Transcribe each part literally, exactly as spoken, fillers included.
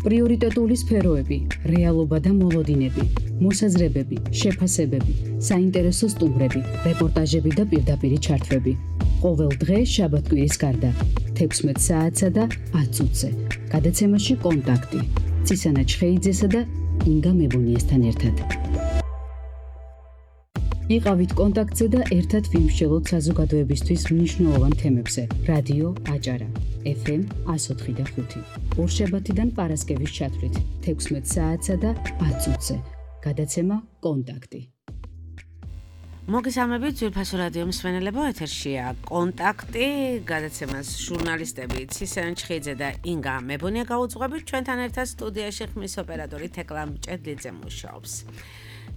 პრიორიტეტული სფეროები, რეალობა და მოლოდინები, მოსაზრებები, შეფასებები, საინტერესო სტუმრები, რეპორტაჟები და პირდაპირი ჩართვები. ყოველ დღე შაბათ-კვირის გარდა, თექვსმეტ საათსა და ათ წუთზე. გადაცემაში კონტაქტი. ცისანა ჩხეიძესა და ინგა მებუნიესთან ერთად. იყავით კონტაქტზე და ერთად ვიმსჯელოთ საზოგადოებისთვის მნიშვნელოვან თემებზე. რადიო აჭარა, ეფ ემ εκατო ოთხი და ხუთი. ორშაბათიდან პარასკევის ჩათვლით, თექვსმეტ საათსა და ათ წუთზე. გადაცემა კონტაქტი. მოგესალმებით, ძვირფასო რადიო მსმენელებო, ეთერშია კონტაქტი, გადაცემას ჟურნალისტები ცისანა ჩხეიძე და ინგა მებუნია გაუძღვებით, ჩვენთან ერთად სტუდიაში ხმის ოპერატორი თეკლა მჭედლიძე მუშაობს.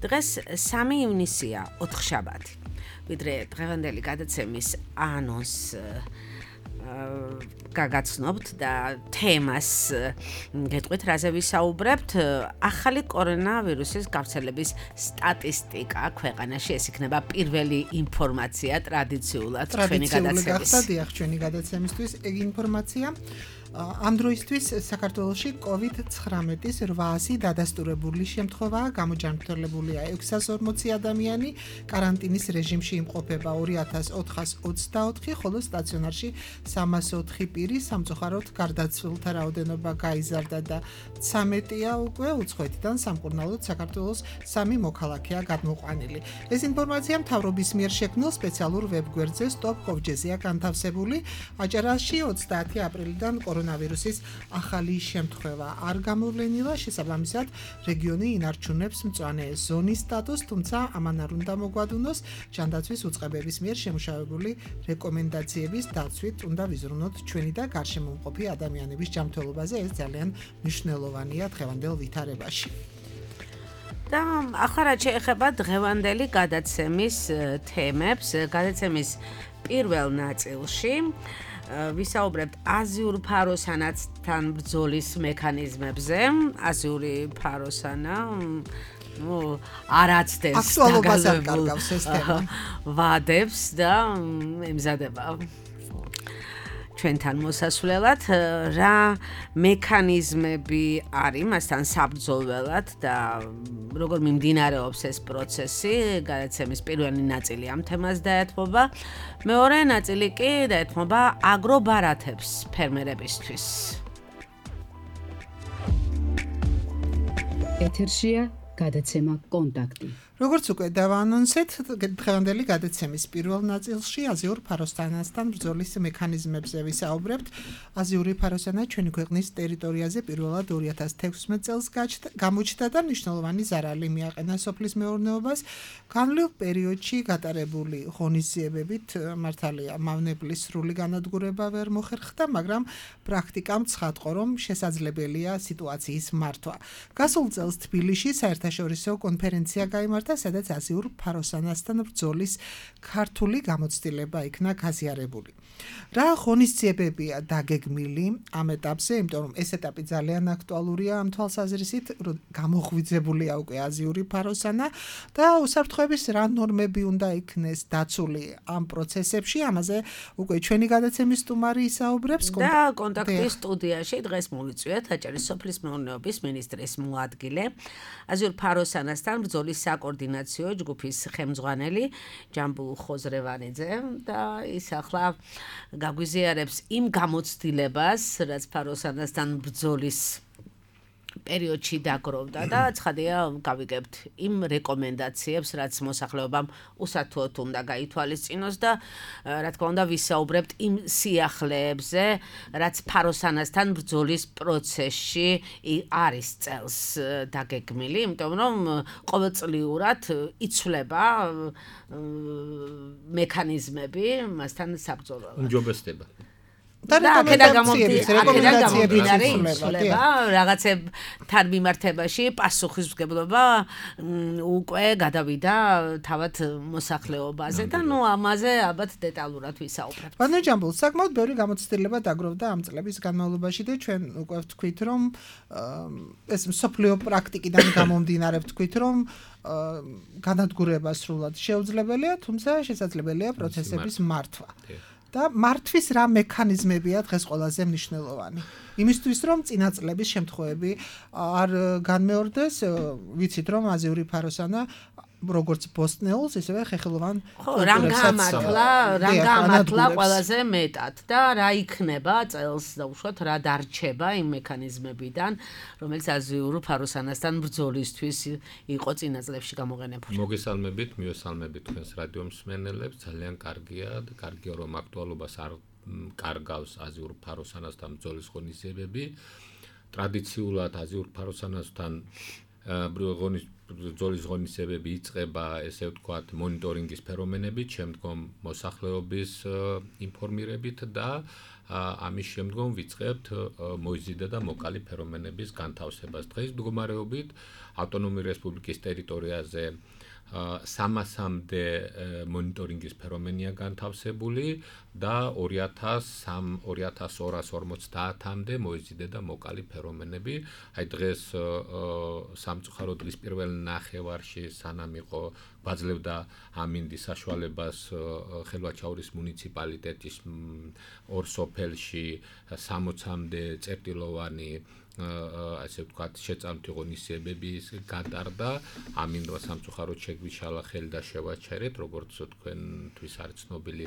დღეს სამი ივნისია, ოთხშაბათი. ვიდრე დღევანდელი გადაცემის ანონს გაგაცნობთ და თემას გეტყვით, რაზე ვისაუბრებთ. ახალი კორონავირუსის გავრცელების სტატისტიკა ქვეყანაში, ეს იქნება პირველი ინფორმაცია ტრადიციულად ჩვენი გადაცემის. ტრადიციულად ჩვენი გადაცემისთვის ეგ ინფორმაცია. ამ დროისთვის საქართველოში კოვიდ ცხრამეტის რვაასი დადასტურებული შემთხვევაა, გამოჯანმრთელებულია ექვსას ორმოცი ადამიანი, კარანტინის რეჟიმში იმყოფება ორი ათას ოთხას ოცდაოთხი, ხოლო სტაციონარში სამას ოთხი პირი, სამწუხაროდ გარდაცვლილთა რაოდენობა გაიზარდა და ცამეტია უკვე, უცხოეთიდან სამკურნალოდ საქართველოს სამი მოქალაქეა გადმოყვანილი. ეს ინფორმაცია მთავრობის მიერ შექმნილ სპეციალურ ვებგვერდზე stop covid-ზე განთავსებული. აჭარაში ოცდაათი აპრილიდან კორონავირუსის ახალი შემთხვევა არ გამოვლენილა, შესაბამისად რეგიონი ინარჩუნებს მწვანე ზონის სტატუსს, თუმცა ამან არ უნდა მოგვადუნოს ჯანდაცვის უწყებების მიერ შემუშავებული რეკომენდაციების დაცვით უნდა ვიზრუნოთ ჩვენი და გარშემომყოფი ადამიანების ჯანმრთელობაზე, ეს ძალიან მნიშვნელოვანია დღევანდელ ვითარებაში. და ახლა რაც შეეხება დღევანდელი გადაცემის თემებს, გადაცემის პირველ ნაწილში ვისაუბრებთ აზიურ ფაროსანათთან ბრძოლის მექანიზმებზე. აზიური ფაროსანა ნუ არაცდებს აქტუალობას არ კარგავს ეს თემა. ვადებს და ემზადება ჩვენთან მოსასვლელად, რა მექანიზმები არის მასთან საბრძოლველად და როგორ მიმდინარეობს ეს პროცესი. გადაცემის პირველი ნაწილი ამ თემას დაეთმობა, მეორე ნაწილი კი დაეთმობა აგრობარათებს ფერმერებისთვის. ეთერშია გადაცემა კონტაქტი. როგორც უკვე დავაანონსეთ, დღევანდელი გადაცემის პირველ ნაწილში აზიურ ფაროსანათთან ბრძოლის მექანიზმებზე ვისაუბრებთ. აზიური ფაროსანა ჩვენი ქვეყნის ტერიტორიაზე პირველად ორი ათას თექვსმეტ წელს გამოჩნდა და მნიშვნელოვანი ზარალი მიაყენა სოფლის მეურნეობას. განვლილ პერიოდში გატარებული ღონისძიებებით მართალია მავნებლის სრული განადგურება ვერ მოხერხდა, მაგრამ პრაქტიკამ ცხადყო, რომ შესაძლებელია სიტუაციის მართვა. გასულ წელს თბილისში საერთაშორისო კონფერენცია გაიმართა, სადაც აზიურ ფაროსანათთან ბრძოლის ქართული გამოცდილება იქნა გაზიარებული. რა ღონისძიებებია დაგეგმილი ამ ეტაპზე, იმიტომ რომ ეს ეტაპი ძალიან აქტუალურია ამ თვალსაზრისით, რომ გამოღვიძებულია უკვე აზიური ფაროსანა და უსაფრთხოების რა ნორმები უნდა იქნეს დაცული ამ პროცესებში. ამაზე უკვე ჩვენი გადაცემის სტუმარი ისაუბრებს და კონტაქტის სტუდიაში დღეს მოვიწვიეთ აჭარის სოფლის მეურნეობის მინისტრის მოადგილე, აზიურ ფაროსანათთან ბრძოლის საკოორდინაციო ჯგუფის ხელმძღვანელი ჯამბულ ხოზრევანიძე და ის ახლა გაგვიზიარებს იმ გამოცდილებას, რაც ფაროსანათთან ბრძოლის პერიოდში დაგროვდა და ცხადია გავიგებთ იმ რეკომენდაციებს, რაც მოსახლეობამ უსათუოდ უნდა გაითვალისწინოს და რა თქმა უნდა ვისაუბრებთ იმ სიახლეებზე, რაც ფაროსანათთან ბრძოლის პროცესში არის წელს დაგეგმილი, იმიტომ რომ ყოველწლიურად იცვლება მექანიზმები მასთან საბრძოლველად. უმჯობესდება. და რეკომენდაციები იცვლება რაღაცებთან მიმართებაში პასუხისმგებლობა უკვე გადავიდა თავად მოსახლეობაზე და ნუ ამაზე ალბათ დეტალურად ვისაუბრებთ. ბატონო ჯამბულ, საკმაოდ ბევრი გამოცდილება დაგროვდა ამ წლების განმავლობაში და ჩვენ უკვე ვთქვით, რომ ეს მსოფლიო პრაქტიკიდან გამომდინარე ვთქვით, რომ განადგურება სრულად შეუძლებელია, თუმცა შესაძლებელია პროცესების მართვა. და მართვის რა მექანიზმებია დღეს ყველაზე მნიშვნელოვანი? იმისთვის რომ წინაწლების შემთხვევები არ განმეორდეს, ვიცით რომ აზიური ფაროსანა როგორც ბოსტნეულს, ისევე ხეხილოვან ხო, რამ გამართლა, რამ გამართლა ყველაზე მეტად და რა იქნება წელს და უშუალოდ რა დარჩება იმ მექანიზმებიდან, რომელიც აზიურ ფაროსანასთან ბრძოლისთვის იყო წინაწლებში გამოყენებული. მოგესალმებით, მივესალმებით თქვენს რადიო მსმენელებს, ძალიან კარგია და კარგია რომ აქტუალობას არ კარგავს აზიურ ფაროსანასთან ბრძოლის ღონისძიებები. ტრადიციულად აზიურ ფაროსანასთან ბრძოლის ბრძოლის ღონისძიებები იწყება, ესე ვთქვათ, მონიტორინგის ფენომენებით, შემდგომ მოსახლეობის ინფორმირებით და ამის შემდგომ ვიწყებთ მოიზიდა და მოკალი ფენომენების განთავსებას. დღეს მდგომარეობით ავტონომიური რესპუბლიკის ტერიტორიაზე სამასამდე მონიტორინგის ფენომენია განთავსებული და ორი ათას ორას ორმოცდაათამდე მოიზიდა და მოკალი ფენომენები. აი დღეს სამწუხარო დღის პირველ ნახევარში სანამ იყო გვაძლევდა ამინდი საშუალებას ხელვაჩაურის მუნიციპალიტეტის ორ სოფელში სამოცამდე წერტილოვანი ასე ვთქვათ შეწამთი ღონისძიებები გატარდა. ამინდმა სამწუხაროდ შეგვიშალა ხელი და შევაჩერეთ, როგორც თქვენთვის არის ცნობილი,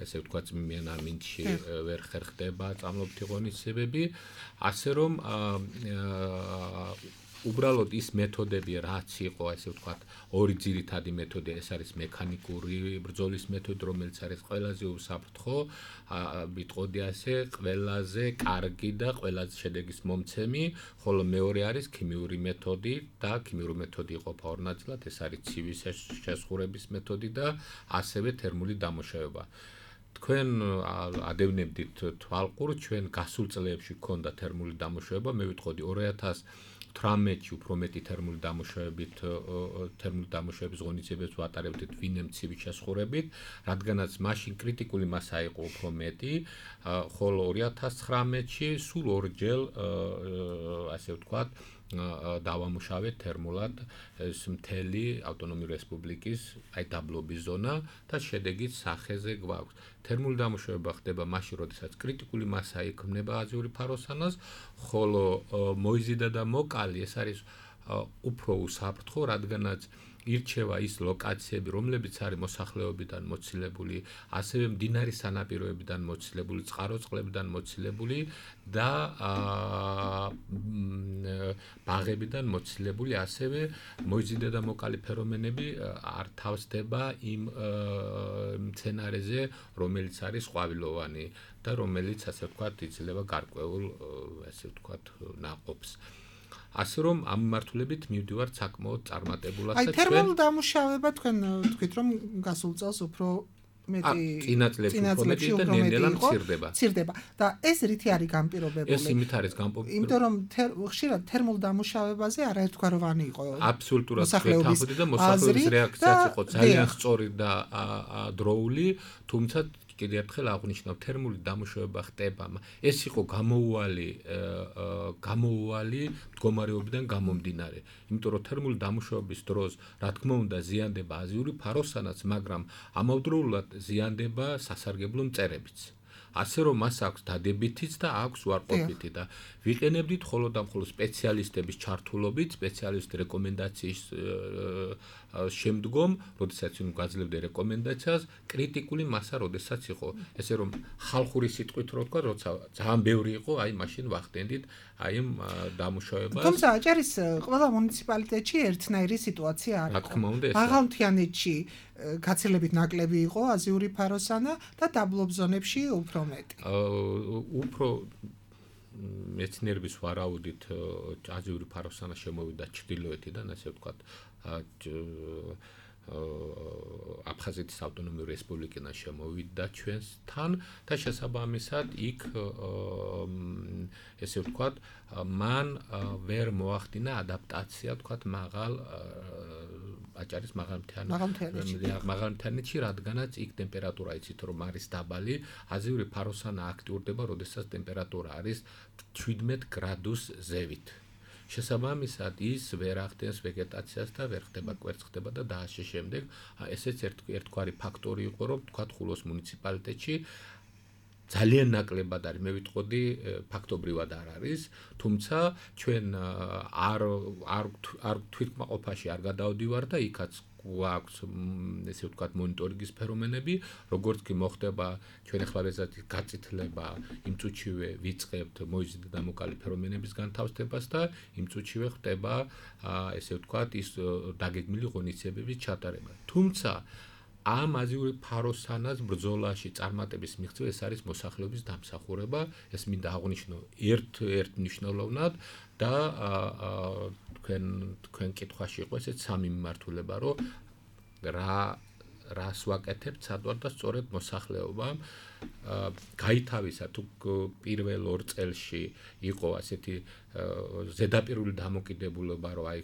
ესე ვთქვათ, წმიან ამინდში ვერ ხერხდება წამლობთი ღონისძიებები, ასე რომ უბრალოდ ის მეთოდები რაც იყო, ესე ვთქვათ, ორი ძირითადი მეთოდი, ეს არის მექანიკური ბრძოლის მეთოდი, რომელიც არის ყველაზე უსაფრთხო, ვიტყოდი ასე, ყველაზე კარგი და ყველაზე შედეგის მომცემი, ხოლო მეორე არის ქიმიური მეთოდი და ქიმიური მეთოდი იყოფა ორ ნაწილად, ეს არის ცივის შესხურების მეთოდი და ასევე თერმული დამუშავება. თქვენ ადევნებდით თვალყურს, ჩვენ გასულ წლებში გქონდა თერმული დამუშავება, მე ვიტყოდი ორი ათას თვრამეტში უფრო მეტი თერმული დამუშავებით თერმული დამუშავების ღონისძიებებს ვატარებდით ვინმე ცივის შესხურებით, რადგანაც მაშინ კრიტიკული მასა იყო უფრო მეტი, ხოლო ორი ათას ცხრამეტში სულ ორჯერ ასე ვთქვათ დავამუშავეთ თერმულად ეს მთელი ავტონომიური რესპუბლიკის აი დაბლობის ზონა და შედეგით სახეზე გვაქვს. თერმული დამუშავება ხდება მაშინ, როდესაც კრიტიკული მასა იქმნება აზიური ფაროსანას, ხოლო მოიზიდა და მოკალი ეს არის უფრო უსაფრთხო, რადგანაც ირჩევა ის ლოკაციები, რომლებიც არის მოსახლეობიდან მოცილებული, ასევე მდინარის სანაპიროებიდან მოცილებული, წყაროწყლებიდან მოცილებული და ბაღებიდან მოცილებული, ასევე მოიზიდა და მოკალი ფენომენები არ თავსდება იმ მცენარეზე, რომელიც არის ყვავილოვანი და რომელიც, ასე ვთქვათ, იძლევა გარკვეულ, ასე ვთქვათ, ნაყოფს. ასე რომ ამ მიმართულებით მივდივართ საკმაოდ წარმატებულად და ჩვენ აი თერმულ დამუშავება თქვენ თქვით რომ გასულ წელს უფრო მეტი წინაწლებში უფრო მეტი და ნელ-ნელა მცირდება. მცირდება და ეს რითი არის განპირობებული? ეს იმით არის განპირობებული. იმიტომ რომ ხშირად თერმულ დამუშავებაზე არაერთგვაროვანი იყო. აბსოლუტურად თანხმდი და მოსახლეობის რეაქციაც იყო ძალიან სწორი და დროული, თუმცა კიდევ ერთხელ აღნიშნავ, თერმული დამუშავება ხდება. ეს იყო გამოუვალი გამოუვალი მდგომარეობიდან გამომდინარე. იმიტომ რომ თერმული დამუშავების დროს, რა თქმა უნდა, ზიანდება აზიური ფაროსანაც, მაგრამ ამავდროულად ზიანდება სასარგებლო მწერებიც. ასე რომ მას აქვს დადებითიც და აქვს უარყოფითი და ვიყენებდით მხოლოდ და მხოლოდ სპეციალისტების ჩართულობით, სპეციალისტ რეკომენდაციის შემდგომ, როდესაც ვინ გვაძლევდა რეკომენდაციას, კრიტიკული მასა როდესაც იყო, ესე რომ ხალხური სიტყვით რო ვთქვა, როცა ძალიან ბევრი იყო, აი მაშინ ვახდენდით აი ამ დამუშავებას. თუმცა აჭარის ყველა მუნიციპალიტეტში ერთნაირი სიტუაცია არ იყო. რა თქმა უნდა, მაღალმთიანეთში გაცილებით ნაკლები იყო აზიური ფაროსანა და დაბლობ ზონებში უფრო მეტი. უფრო მეცნიერების ვარაუდით აზიური ფაროსანა შემოვიდა ჩრდილოეთიდან, ასე ვთქვათ, აფხაზეთის ავტონომიური რესპუბლიკიდან შემოვიდა ჩვენთან და შესაბამისად იქ ესე ვთქვათ, მან ვერ მოახდინა ადაპტაცია, ვთქვათ, მაღალ აჭარის მაღალმთიანეთში, რადგანაც იქ ტემპერატურა იცით რომ არის დაბალი, აზიური ფაროსანა აქტიურდება, როდესაც ტემპერატურა არის ჩვიდმეტ გრადუს ზევით. შესაბამისად ის ვერ ახდენს ვეგეტაციას და ვერ ხდება კვერცხდება და დაასე შემდეგ ესეც ერთგვარი ფაქტორი იყო, რომ თქვათ ხულოს მუნიციპალიტეტში ძალიან ნაკლებად არის, მე ვიტყოდი, ფაქტობრივად არ არის, თუმცა ჩვენ არ არ არ თვითკმაყოფაში არ გადავდივარ და იქაც გვაქვს ესე ვთქვათ მონიტორინგის ფენომენები, როგორც კი მოხდება ჩვენ ახლა ვეზეთი გაწითლება, იმ წუთშივე ვიწყებთ მოიზიდა დამოკალი ფენომენების განთავსებას და იმ წუთშივე ხდება ესე ვთქვათ ის დაგეგმილი ღონისძიებების ჩატარება. თუმცა ამ აზიური ფაროსანას ბრძოლაში წარმატების მიღწევა ეს არის მოსახლეობის დამსახურება, ეს მინდა აღვნიშნო ერთ ერთ მნიშვნელოვნად და თქვენ თქვენ კითხვაში იყო ესეც სამი მიმართულება, რომ რა რას ვაკეთებთ სადვარ და სწორედ მოსახლეობამ გაითავისა თუ პირველ ორ წელში იყო ასეთი ზედაპირული დამოკიდებულება, რომ აი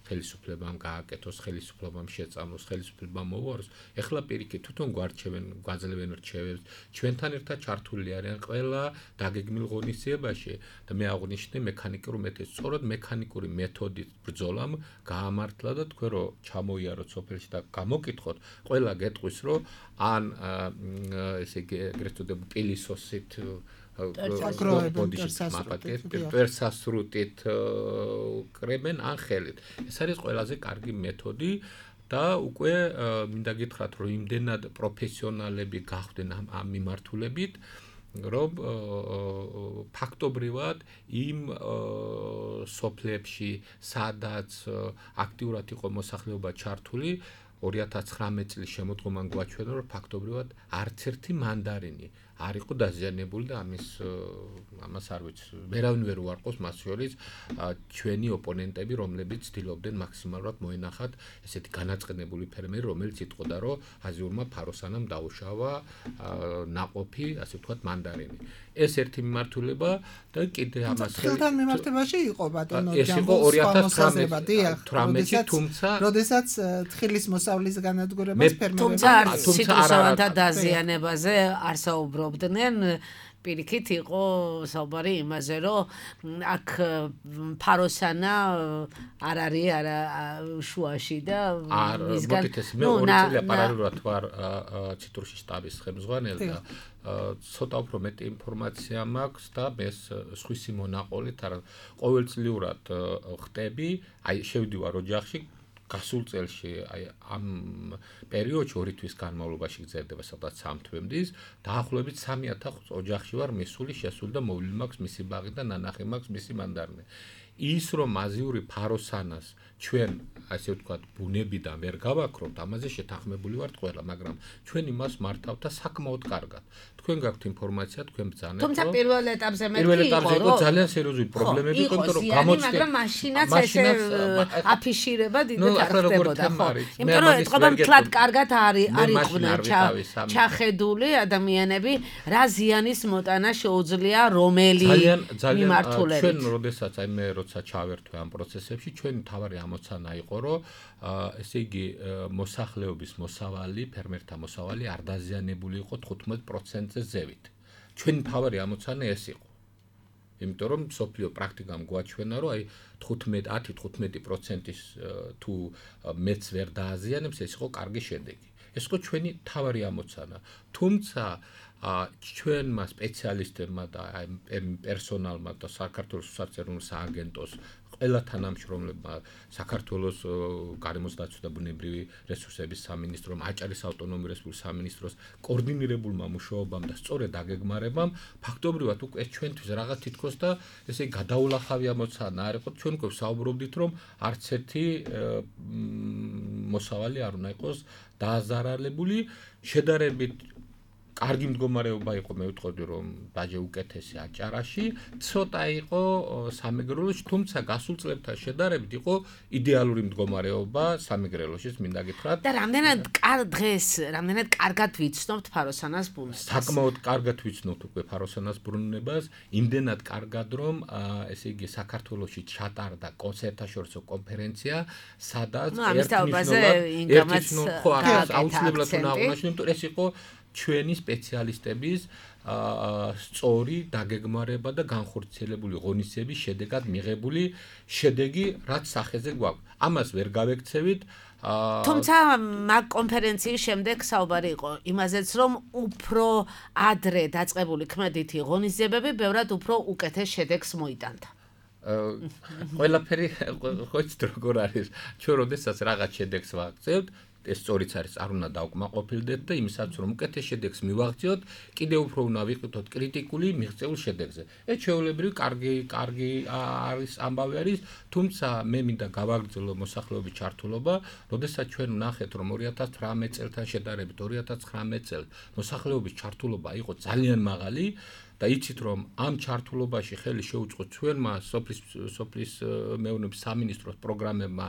ხელისუფლებამ გააკეთოს, ხელისუფლებამ შეწამოს, ხელისუფლებამ მოვაროს. ეხლა პირიქით თვითონ გვარჩევენ, გვაძლევენ რჩევებს, ჩვენთან ერთად ჩართული არიან ყველა დაგეგმილ ღონისძიებაში და მე აღვნიშნე მექანიკური მეთოდი. სწორედ მექანიკური მეთოდით ბრძოლამ გაამართლა და თქვენ რო ჩამოიაროთ სოფელში და გამოკითხოთ, ყველა გეტყვის, რომ ან ესე იგი ეგრეთ წოდებული პილისოსით პერსასრუტით კრებენ ან ხელით. ეს არის ყველაზე კარგი მეთოდი და უკვე მინდა გითხრათ, რომ იმდენად პროფესიონალები გახვდნენ ამ მიმართულებით, რომ ფაქტობრივად იმ სოფლებში, სადაც აქტიურად იყო მოსახლეობა ჩართული, ორი ათას ცხრამეტ წლის შემოდგომან გვაჩვენა, რომ ფაქტობრივად არც ერთი მანდარინი არ იყო დაზიანებული და ამის ამას არ ვიცი. ვერავინ ვერ უარყოს მას შორის ჩვენი ოპონენტები, რომლებიც ცდილობდნენ მაქსიმალურად მოენახათ ესეთი განაწყენებული ფერმერი, რომელიც იტყოდა, რომ აზიურმა ფაროსანამ დაუშავა ნაყოფი, ასე ვთქვათ, მანდარინი. ეს ერთი მიმართულება და კიდე ამას ხელთან მიმართებაში იყო ბატონო ჯამბოს. ეს იყო ორი ათას ცხრამეტი, თუმცა როდესაც თხილის მოსავლის განადგურებას ფერმერები თუმცა სიტუაციათა დაზიანებაზე არ საუბრობდნენ. პირიქით იყო საუბარი იმაზე, რომ აქ ფაროსანა არ არის არა შუაში და მისგან მე ორი წელი პარალელურად ვარ ციტრუსის შტაბის ხელმძღვანელი და ცოტა უფრო მეტი ინფორმაცია მაქვს და მე სხვისი მონაყოლით არა ყოველწლიურად ხტები, აი შევდივარ ოჯახში გასულ წელში აი ამ პერიოდში ორი თვის განმავლობაში გრძელდება სადღაც სამ თვემდის, დაახლოებით სამი ათას ოჯახში ვარ მისული, შესული და მოვლილი მაქვს მისი ბაღი და ნანახი მაქვს მისი მანდარინი. ის რომ აზიური ფაროსანას ჩვენ ასე ვთქვათ ბუნებიდან ვერ გავაქრობთ, ამაზე შეთანხმებული ვართ ყველა, მაგრამ ჩვენ იმას მართავთ და საკმაოდ კარგად. თქვენ გაქვთ ინფორმაცია, თქვენ ბრძანებთ. თუმცა პირველ ეტაპზე მე პირველ ეტაპზე იყო ძალიან სერიოზული პრობლემები, იმიტომ რომ გამოჩნდა, მაგრამ მაშინაც ესე აფიშირება დიდად არ ხდებოდა, ხო? იმიტომ რომ ეთყობა მთლად კარგად არის არ იყვნენ ჩახედული ადამიანები, რა ზიანის მოტანა შეუძლია რომელი მიმართულებით. ჩვენ როდესაც აი მე როცა ჩავერთვე ამ პროცესებში, ჩვენი თავარი ამოცანა იყო, რომ ესე იგი მოსახლეობის მოსავალი, ფერმერთა მოსავალი არ დაზიანებული იყო თხუთმეტ პროცენტზე ზევით. ჩვენი თავარი ამოცანა ეს იყო. იმიტომ რომ სოფლიო პრაქტიკამ გვაჩვენა, რომ აი თხუთმეტ ათი თხუთმეტი პროცენტის თუ მეც ვერ დააზიანებს, ეს იყო კარგი შედეგი. ეს იყო ჩვენი თავარი ამოცანა. თუმცა ჩვენმა სპეციალისტებმა და პერსონალმა და საქართველოს სოციალურ სააგენტოს ყველა თანამშრომლებმა, საქართველოს გარემოს დაცვა და ბუნებრივი რესურსების სამინისტრომ, აჭარის ავტონომიური რესპუბლიკის სამინისტროს კოორდინირებულმა მუშაობამ და სწორედ აგეგმარებამ ფაქტობრივად უკვე ჩვენთვის რაღაც თითქოს და ესე გადაულახავი ამოცანა არ იყო. ჩვენ უკვე საუბრობდით, რომ არც ერთი მოსავალი არ უნდა იყოს დააზარალებული, შედარებით კარგი მდგომარეობა იყო, მე ვიტყოდი, რომ დაჟე უკეთესი აჭარაში, ცოტა იყო სამეგრელოში, თუმცა გასულ წლებთან შედარებით იყო იდეალური მდგომარეობა სამეგრელოში, მინდა გითხრათ. და რამდენად დღეს, რამდენად კარგად ვიცნობთ ფაროსანას ბუნებას? საკმაოდ კარგად ვიცნობთ უკვე ფაროსანას ბუნებას, იმდენად კარგად, რომ ესე იგი საქართველოში ჩატარდა კონცერტაშორისო კონფერენცია, სადაც ერთნიშნულად აუცილებლად უნდა აღნიშნო, ეს იყო ჩვენი სპეციალისტების სწორი დაგეგმარება და განხორციელებული ღონისძიების შედეგად მიღებული შედეგი, რაც სახეზე გვაქვს. ამას ვერ გავექცევით. თუმცა მაგ კონფერენციის შემდეგ საუბარი იყო იმაზეც, რომ უფრო ადრე დაწყებული ქმედითი ღონისძიებები ბევრად უფრო უკეთეს შედეგს მოიტანდა. ყველაფერი ხო იცით როგორ არის. ჩვენ როდესაც რაღაც შედეგს ვაღწევთ, ეს სწორიც არის, არ უნდა დავკმაყოფილდეთ და იმისაც რომ უკეთეს შედეგს მივაღწიოთ, კიდევ უფრო უნდა ვიყიდოთ კრიტიკული მიღწეულ შედეგზე. ეს ჩვეულებრივი კარგი კარგი არის ამბავი არის, თუმცა მე მინდა გავაგრძელო მოსახლეობის ჩართულობა, როდესაც ჩვენ ვნახეთ რომ ორი ათას ცხრამეტ წელთან შედარებით ორი ათას ცხრამეტ წელს მოსახლეობის ჩართულობა იყო ძალიან მაღალი. და იცით რომ ამ ჩართულობაში ხელი შეუწყო ჩვენმა სოფლის სოფლის მეურნეობის სამინისტროს პროგრამებმა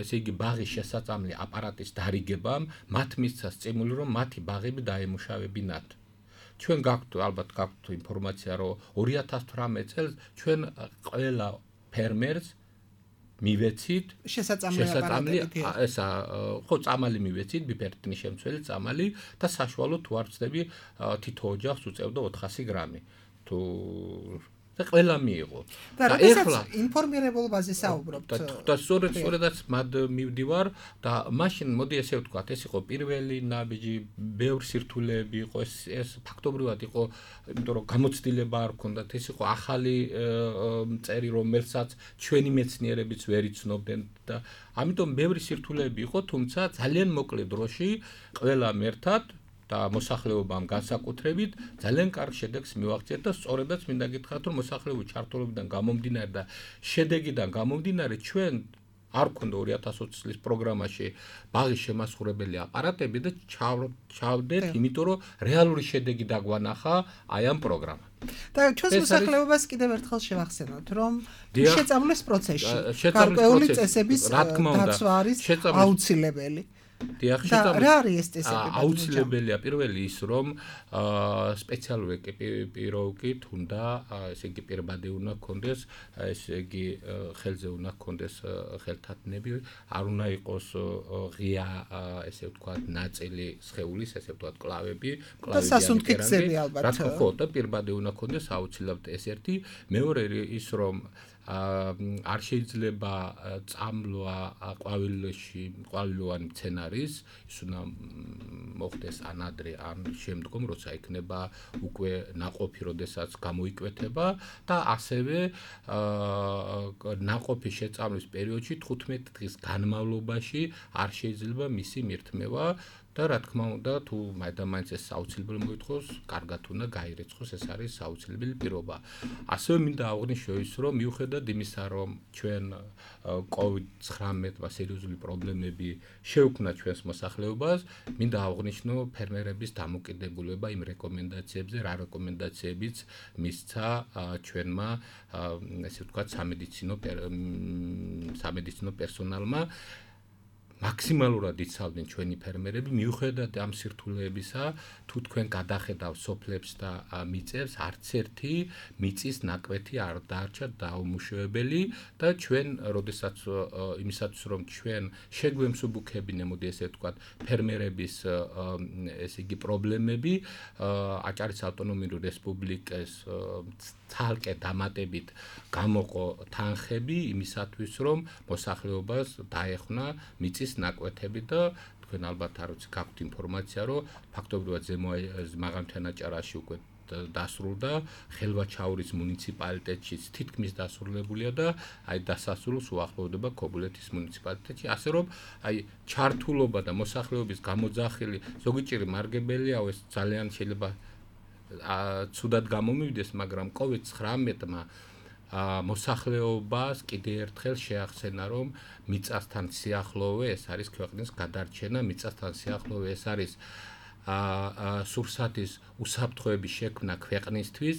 ესე იგი ბაღის შესაწამლი აპარატის დარიგებამ მათ მისცა სტიმული რომ მათი ბაღები დაემუშავებინათ. ჩვენ გაქვთ ალბათ გაქვთ ინფორმაცია რომ ორი ათას ცხრამეტ წელს ჩვენ ყველა ფერმერს მივეცით შესაწამლი ესა ხო წამალი მივეცით ბიფერტინის შემცველი წამალი და საშუალო თუ არ ვწდები თითო ოჯახს უწევდა ოთხასი გრამი თუ და ყველა მიიღო და ეხლა ინფორმირებულობაზე საუბრობთ და სწორედ სწორედაც მად მივდივარ და მაშინ მოდი ესე ვთქვათ ეს იყო პირველი ნაბიჯი ბევრ სირთულეები იყო ეს ეს ფაქტობრივად იყო იმიტომ რომ გამოცდილება არ ჰქონდათ ეს იყო ახალი წერი რომელსაც ჩვენი მეცნიერებიც ვერ იცნობდნენ და ამიტომ ბევრი სირთულეები იყო თუმცა ძალიან მოკლე დროში ყველამ ერთად და მოსახლეობამ განსაკუთრებით ძალიან კარგ შედეგს მივაღწიეთ და სწორედაც მინდა გითხრათ რომ მოსახლეობის ჩართულობიდან გამომდინარე და შედეგიდან გამომდინარე ჩვენ არ გქონდა ორი ათას ოცი წლის პროგრამაში ბაღის შემასხურებელი აპარატები და ჩავდეთ იმიტომ რომ რეალური შედეგი დაგვანახა აი ამ პროგრამამ და ჩვენს მოსახლეობას კიდევ ერთხელ შევახსენოთ რომ შეწამლის პროცესში გარკვეული წესების დაცვა არის აუცილებელი დიახ, რა არის ეს წესები? აუცილებელია პირველი ის რომ სპეციალური ეკიპიროვკით უნდა ესე იგი პირბადე უნდა გქონდეს, ესე იგი ხელზე უნდა გქონდეს ხელთათნები, არ უნდა იყოს ღია ესე ვთქვათ ნაწილი სხეულის, ესე ვთქვათ კლავები, კლავები და სასუნთქი გზები ალბათ. რა თქმა უნდა, პირბადე უნდა გქონდეს აუცილებლად ეს ერთი, მეორე ის რომ არ შეიძლება წამლვა ყვავილში ყვავილოვანი მცენარის ის უნდა მოხდეს ან ადრე ან შემდგომ როცა იქნება უკვე ნაყოფი როდესაც გამოიკვეთება და ასევე ნაყოფის შეწამლის პერიოდში თხუთმეტი დღის განმავლობაში არ შეიძლება მისი მირთმევა და რა თქმა უნდა თუ მაინც ეს აუცილებელი მოითხოვს, კარგად უნდა გაირეცხოს, ეს არის აუცილებელი პირობა. ასევე მინდა აღვნიშნო ის, რომ მიუხედავად იმისა, რომ ჩვენ კოვიდ ცხრამეტ სერიოზული პრობლემები შეუქმნა ჩვენს მოსახლეობას, მინდა აღვნიშნო ფერმერების დამოკიდებულება იმ რეკომენდაციებზე, რა რეკომენდაციებიც მისცა ჩვენმა ესე ვთქვათ სამედიცინო სამედიცინო პერსონალმა მაქსიმალურად იცავდნენ ჩვენი ფერმერები მიუხედავად ამ სირთულეებისა თუ თქვენ გადახედავ სოფლებს და მიწებს არც ერთი მიწის ნაკვეთი არ დარჩა დაუმუშავებელი და ჩვენ როდესაც იმისათვის რომ ჩვენ შეგვემსუბუქებინე მოდი ესე ვთქვათ ფერმერების ესე იგი პრობლემები აჭარის ავტონომიური რესპუბლიკის ცალკე დამატებით გამოყო თანხები იმისათვის რომ მოსახლეობას დაეხმნა მიწის ნაკვეთები და თქვენ ალბათ არ ვიცი გაქვთ ინფორმაცია რომ ფაქტობრივად ზემო მაღალმთიანაჭარაში უკვე დასრულდა ხელვაჩაურის მუნიციპალიტეტში თითქმის დასრულებულია და აი დასასრულს უახლოვდება ქობულეთის მუნიციპალიტეტში ასე რომ აი ჩართულობა და მოსახლეობის გამოძახილი ზოგიერთი მარგებელიაო ეს ძალიან შეიძლება ცუდად გამომივიდეს მაგრამ კოვიდ ცხრამეტმა მოსახლეობას კიდევ ერთხელ შეახსენა რომ მიწასთან სიახლოვე ეს არის ქვეყნის გადარჩენა მიწასთან სიახლოვე ეს არის სურსათის უსაფრთხოების შექმნა ქვეყნისთვის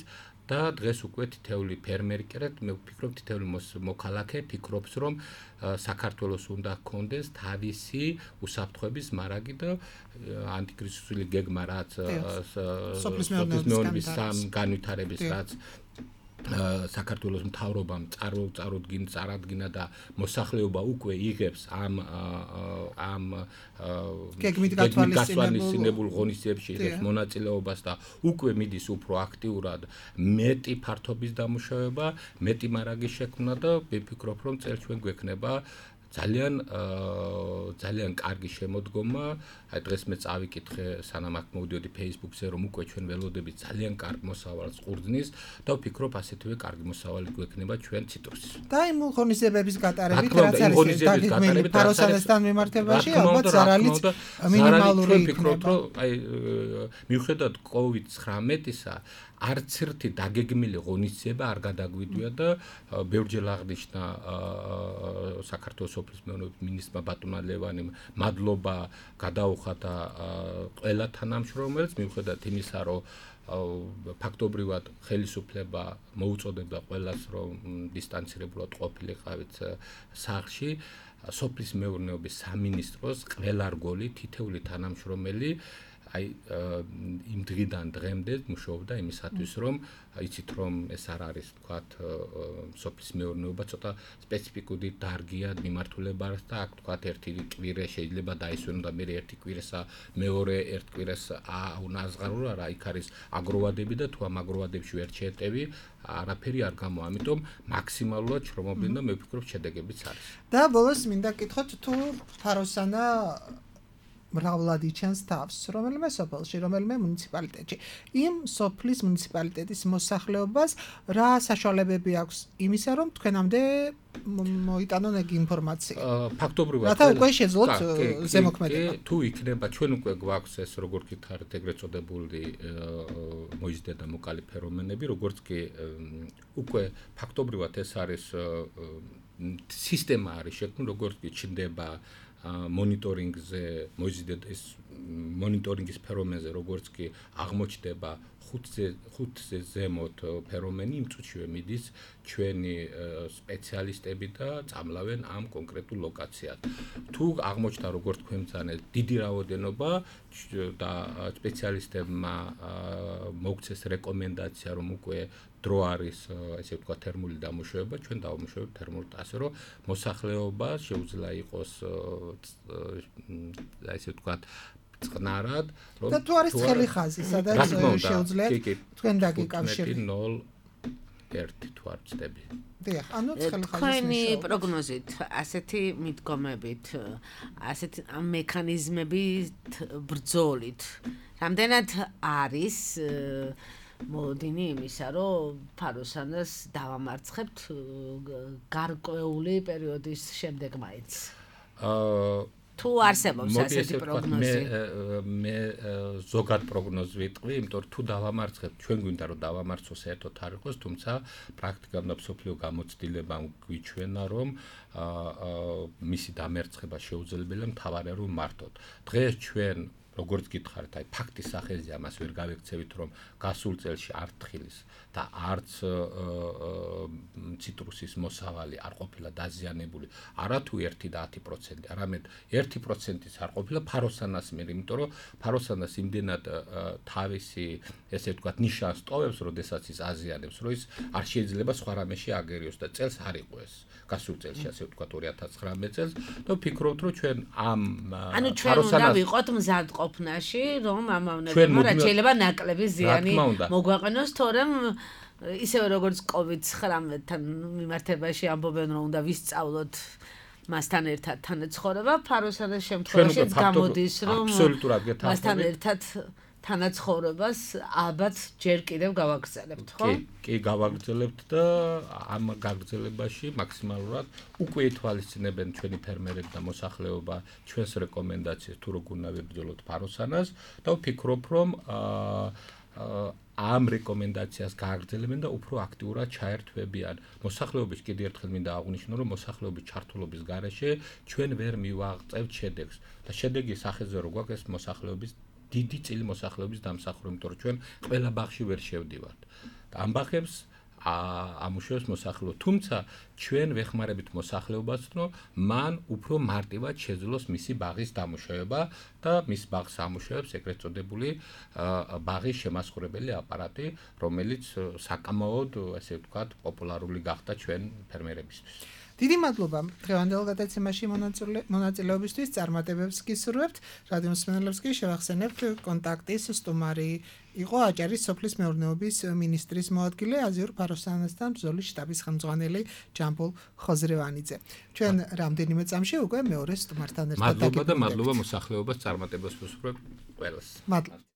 და დღეს უკვე თითეული ფერმერი კერეთ მე ვფიქრობ თითეული მოქალაქე ფიქრობს რომ საქართველოს უნდა ჰქონდეს თავისი უსაფრთხოების მარაგი და ანტიკრიზისული გეგმა რაც სოფლის მეურნეობის განვითარების რაც საქართველოს მთავრობამ წარუდგინ წარადგინა და მოსახლეობა უკვე იღებს ამ ამ გეგმით გათვალისწინებულ ღონისძიებებში იღებს მონაწილეობას და უკვე მიდის უფრო აქტიურად მეტი ფართობის დამუშავება, მეტი მარაგის შექმნა და ვფიქრობ, რომ წელს ჩვენ გვექნება ძალიან ძალიან კარგი შემოდგომა. აი დღეს მე წავიკითხე სანამ აქ მოვიდოდი Facebook-ზე, რომ უკვე ჩვენ ველოდებით ძალიან კარგ მოსავალს ყურძნის და ვფიქრობ ასეთივე კარგი მოსავალი გვექნება ჩვენ ციტრუსის. და იმ ღონისძიებების გატარებით რაც არის დაგეგმილი ფაროსანასთან მიმართებაში ალბათ ზარალიც მინიმალური იქნება. აი მიუხედავად კოვიდ ცხრამეტისა არც ერთი დაგეგმილი ღონისძიება არ გადაგვიდია და ბევრჯერ აღნიშნა საქართველოს სოფლის მეურნეობის მინისტრმა ბატონმა ლევანიმ მადლობა გადაუხადა ყველა თანამშრომელს მიუხედავად იმისა, რომ ფაქტობრივად ხელისუფლება მოუწოდებდა ყველას, რომ დისტანცირებულად ყოფილიყავით სახლში. სოფლის მეურნეობის სამინისტროს ყველა რგოლი, თითეული თანამშრომელი აი იმ დღიდან დღემდე მუშაობდა იმისათვის, რომ იცით რომ ეს არ არის თქვათ სოფლის მეურნეობა ცოტა სპეციფიკური დარგია მიმართულებას და აქ თქვათ ერთი კვირა შეიძლება დაისვენო და მე ერთი კვირასა მეორე ერთ კვირას აუნაზღარო რა იქ არის აგროვადები და თუ ამ აგროვადებში ვერ შეეტევი არაფერი არ გამოვა, ამიტომ მაქსიმალურად შრომობენ და მე ვფიქრობ შედეგებიც არის. და ბოლოს მინდა გითხოთ თუ ფაროსანა მრავლად იჩენს თავს, რომელიმე სოფელში, რომელიმე მუნიციპალიტეტში. იმ სოფლის მუნიციპალიტეტის მოსახლეობას რა საშუალებები აქვს იმისა, რომ თქვენამდე მოიტანონ ეგ ინფორმაცია? ფაქტობრივად რათა უკვე შეძლოთ ზემოქმედება. თუ იქნება, ჩვენ უკვე გვაქვს ეს როგორ გითხარით, ეგრეთ წოდებული მოიზიდე და მოკალი ფერომენები, როგორც კი უკვე ფაქტობრივად ეს არის სისტემა არის შექმნილი, როგორც კი ჩნდება მონიტორინგზე მოიზიდეთ ეს მონიტორინგის ფერომენზე როგორც კი აღმოჩნდება ხუთზე ხუთზე ზემოთ ფერომენი იმ წუთშივე მიდის ჩვენი სპეციალისტები და წამლავენ ამ კონკრეტულ ლოკაციად. თუ აღმოჩნდა როგორც თქვენ ბრძანეთ დიდი რაოდენობა და სპეციალისტებმა მოგცეს რეკომენდაცია რომ უკვე დრო არის ესე ვთქვათ თერმული დამუშავება, ჩვენ დავამუშავებთ თერმულით ასე რომ მოსახლეობა შეუძლია იყოს ესე ვთქვათ წყნარად რომ და თუ არის ცხელი ხაზი, სადაც შეუძლია თქვენ დაგიკავშირდეთ ნულ ერთი თუ არ ვწდები. დიახ, ანუ ცხელი ხაზი. თქვენი პროგნოზით, ასეთი მიდგომებით, ასეთი მექანიზმებით ბრძოლით, რამდენად არის მოდინი იმისა, რომ ფაროსანას დავამარცხებთ გარკვეული პერიოდის შემდეგ მაინც. აა თუ არსებობს ასეთი პროგნოზი. მე მე ზოგად პროგნოზი ვიტყვი, იმიტომ რომ თუ დავამარცხებთ, ჩვენ გვინდა რომ დავამარცხოს საერთოდ არ იყოს, თუმცა პრაქტიკამ და მსოფლიო გამოცდილებამ გვიჩვენა, რომ მისი დამარცხება შეუძლებელია, მთავარია რომ მართოთ. დღეს ჩვენ როგორც გითხარით, აი ფაქტის სახეზე ამას ვერ გავექცევით, რომ გასულ წელში არც თხილის და არც ციტრუსის მოსავალი არ ყოფილა დაზიანებული, არა თუ ერთი და ათი პროცენტი, არამედ ერთი პროცენტიც არ ყოფილა ფაროსანას მიერ, იმიტომ რომ ფაროსანას იმდენად თავისი ესე ვთქვათ ნიშანს ტოვებს, როდესაც ის აზიანებს, რომ ის არ შეიძლება სხვა რამეში აგერიოს და წელს არ იყო ეს. გასულ წელში ასე ვთქვათ ორი ათას ცხრამეტ წელს და ვფიქრობთ, რომ ჩვენ ამ ანუ ჩვენ უნდა ვიყოთ მზადყოფნაში, რომ ამავნებმა რა შეიძლება ნაკლები ზიანი მოგვაყენოს, თორემ ისევე როგორც კოვიდ ცხრამეტთან მიმართებაში ამბობენ, რომ უნდა ვისწავლოთ მასთან ერთად თანაცხოვრება, ფაროსანას შემთხვევაშიც გამოდის, რომ მასთან ერთად თანაცხოვრებას ალბათ ჯერ კიდევ გავაგრძელებთ, ხო? კი, კი გავაგრძელებთ და ამ გაგრძელებაში მაქსიმალურად უკვე ითვალისწინებენ ჩვენი ფერმერები და მოსახლეობა ჩვენს რეკომენდაციებს თუ როგორ უნდა ვებრძოლოთ ფაროსანას და ვფიქრობ, რომ ამ რეკომენდაციას გააგრძელებენ და უფრო აქტიურად ჩაერთვებიან. მოსახლეობის კიდევ ერთხელ მინდა აღვნიშნო, რომ მოსახლეობის ჩართულობის გარეშე ჩვენ ვერ მივაღწევთ შედეგს და შედეგი სახეზე რო გვაქვს ეს მოსახლეობის დიდი წილი მოსახლეობის დამსახურება, იმიტომ რომ ჩვენ ყველა ბაღში ვერ შევდივართ. და ამ ბაღებს ამუშავებს მოსახლეობა. თუმცა ჩვენ ვეხმარებით მოსახლეობას, რომ მან უფრო მარტივად შეძლოს მისი ბაღის დამუშავება და მის ბაღს ამუშავებს ეგრეთ წოდებული ბაღის შემასხურებელი აპარატი, რომელიც საკამაოდ, ასე ვთქვათ, პოპულარული გახდა ჩვენ ფერმერებისთვის. დიდი მადლობა დღევანდელ გადაცემაში მონაწილეობისთვის, წარმატებებს გისურვებთ. რადიო მსმენელებს კი შევახსენებთ, კონტაქტის სტუმარი იყო აჭარის სოფლის მეურნეობის მინისტრის მოადგილე, აზიურ ფაროსანასთან ბრძოლის შტაბის ხელმძღვანელი ჯამბულ ხოზრევანიძე. ჩვენ რამდენიმე წამში უკვე მეორე სტუმართან ერთად მადლობა და მადლობა მოსახლეობას წარმატებას ვუსურვებთ ყველას. მადლობა.